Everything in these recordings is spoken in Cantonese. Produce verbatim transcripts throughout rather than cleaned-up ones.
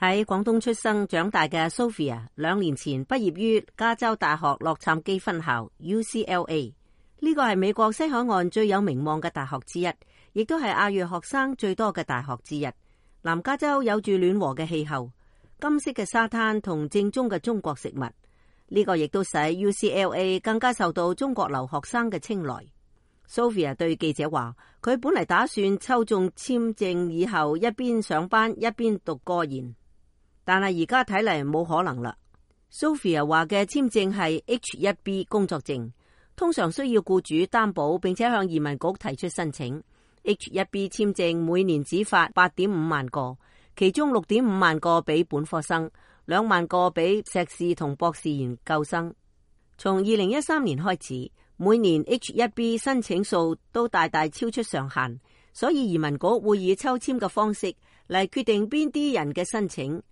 喺廣東出生長大嘅 Sophia， 兩年前畢業於加州大學洛杉磯分校 U C L A， 呢個係美國西海岸最有名望嘅大學之一，亦都係亞裔學生最多嘅大學之一。南加州有住暖和嘅氣候、金色嘅沙灘同正宗嘅中國食物，呢個亦都使 U C L A 更加受到中國留學生嘅青睞。Sophia 對記者話，佢本嚟打算抽中簽證以後一邊上班一邊讀個研，但係而家睇嚟冇可能啦。Sophia 話嘅簽證係 H 一 B 工作證，通常需要僱主擔保並且向移民局提出申請。H 一 B 簽證每年只發八點五萬個，其中六點五萬個俾本科生，兩萬個俾碩士同博士研究生。從二零一三年開始，每年 H 一 B 申請數都大大超出上限，所以移民局會以抽籤嘅方式嚟決定邊啲人嘅申請，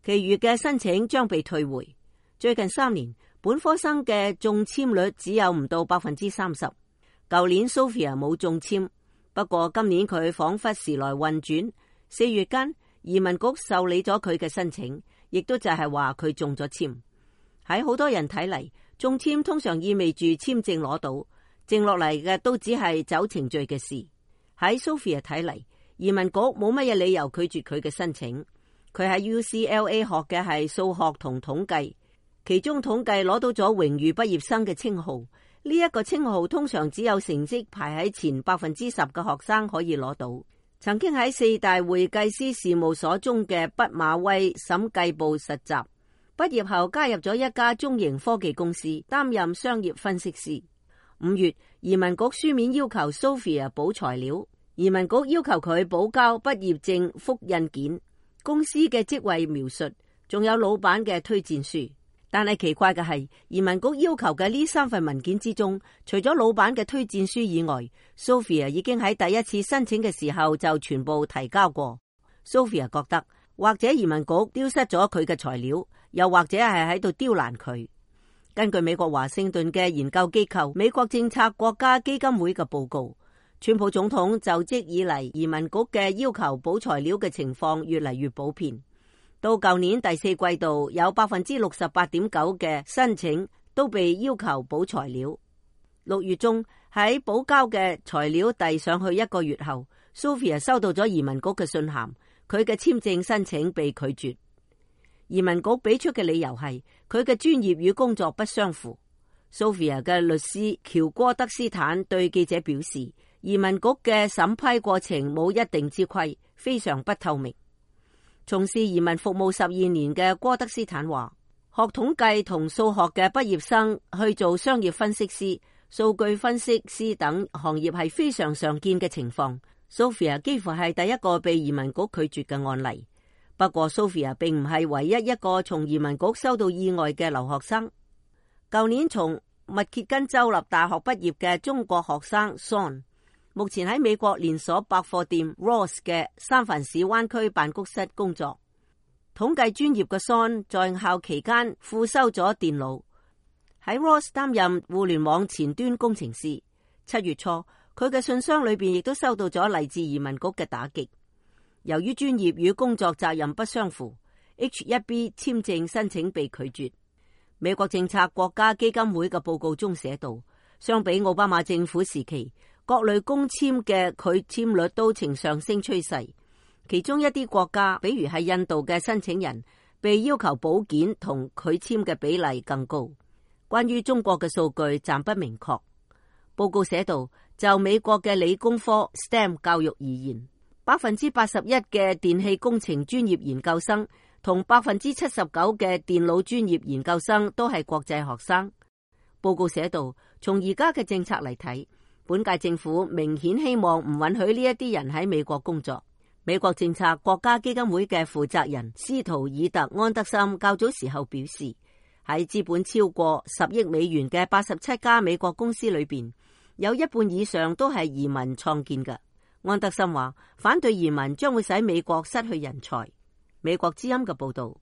其餘嘅申請將被退回。最近三年，本科生嘅中籤率只有唔到百分之三十。舊年 Sophia 冇中籤，不過今年佢仿佛時來運轉，四月間移民局受理咗佢嘅申請，亦都就係話佢中咗籤。喺好多人睇嚟，中籤通常意味住簽證攞到，剩落嚟嘅都只係走程序嘅事。喺 Sophia 睇嚟，移民局冇乜嘢理由拒絕佢嘅申請。佢喺 U C L A 學嘅係數學同統計，其中統計攞到咗榮譽畢業生嘅稱號。呢一個稱號通常只有成績排喺前百分之十嘅學生可以攞到。曾經喺四大會計師事務所中嘅畢馬威審計部實習，畢業後加入咗一家中型科技公司，擔任商業分析師。五月，移民局書面要求 Sophia 補材料，移民局要求佢補交畢業證複印件、公司嘅職位描述，仲有老闆嘅推薦書。但係奇怪嘅係，移民局要求嘅呢三份文件之中，除咗老闆嘅推薦書以外， Sophia 已經喺第一次申請嘅時候就全部提交過。Sophia 覺得或者移民局丟失咗佢嘅材料，又或者係喺度刁難佢。根據美國華盛頓嘅研究機構美國政策國家基金會嘅報告，川普總統就職以嚟，移民局嘅要求補材料嘅情況越嚟越普遍。到舊年第四季度，有百分之六十八點九嘅申請都被要求補材料。六月中喺補交嘅材料遞上去一個月後， Sophia 收到咗移民局嘅信函，佢嘅簽證申請被拒絕。移民局俾出嘅理由係佢嘅專業與工作不相符。 Sophia 嘅律師喬戈德斯坦對記者表示，移民局嘅審批過程冇一定之規，非常不透明。從事移民服務十二年嘅戈德斯坦話，學統計同數學嘅畢業生去做商業分析師、數據分析師等行業係非常常見嘅情況。 Sophia 幾乎係第一個被移民局拒絕嘅案例。不過 Sophia 並唔係唯一一個從移民局收到意外嘅留學生。舊年從密歇根州立大學畢業嘅中國學生 Son，目前喺美國連鎖百貨店 Ross 嘅三藩市灣區辦公室工作。統計專業嘅 Son 在校期間副修咗電腦，喺 Ross 擔任互聯網前端工程師。七月初，佢嘅信箱裏邊亦都收到咗嚟自移民局嘅打擊。由於專業與工作責任不相符， H 一 B 簽證申請被拒絕。美國政策國家基金會嘅報告中寫道，相比奧巴馬政府時期，各類工簽嘅拒簽率都呈上升趨勢。其中一啲國家，比如係印度嘅申請人，被要求補件同拒簽嘅比例更高。關於中國嘅數據暫不明確。報告寫道，就美國嘅理工科 S T E M 教育而言，百分之八十一嘅電氣工程專業研究生同百分之七十九嘅電腦專業研究生都係國際學生。報告寫道，從而家嘅政策嚟睇，本屆政府明顯希望唔允許呢一啲人喺美國工作。美國政策國家基金會嘅負責人斯圖爾特安德森較早時候表示，喺資本超過十億美元嘅八十七家美國公司裏邊，有一半以上都係移民創建嘅。安德森話，反對移民將會使美國失去人才。美國之音嘅報道。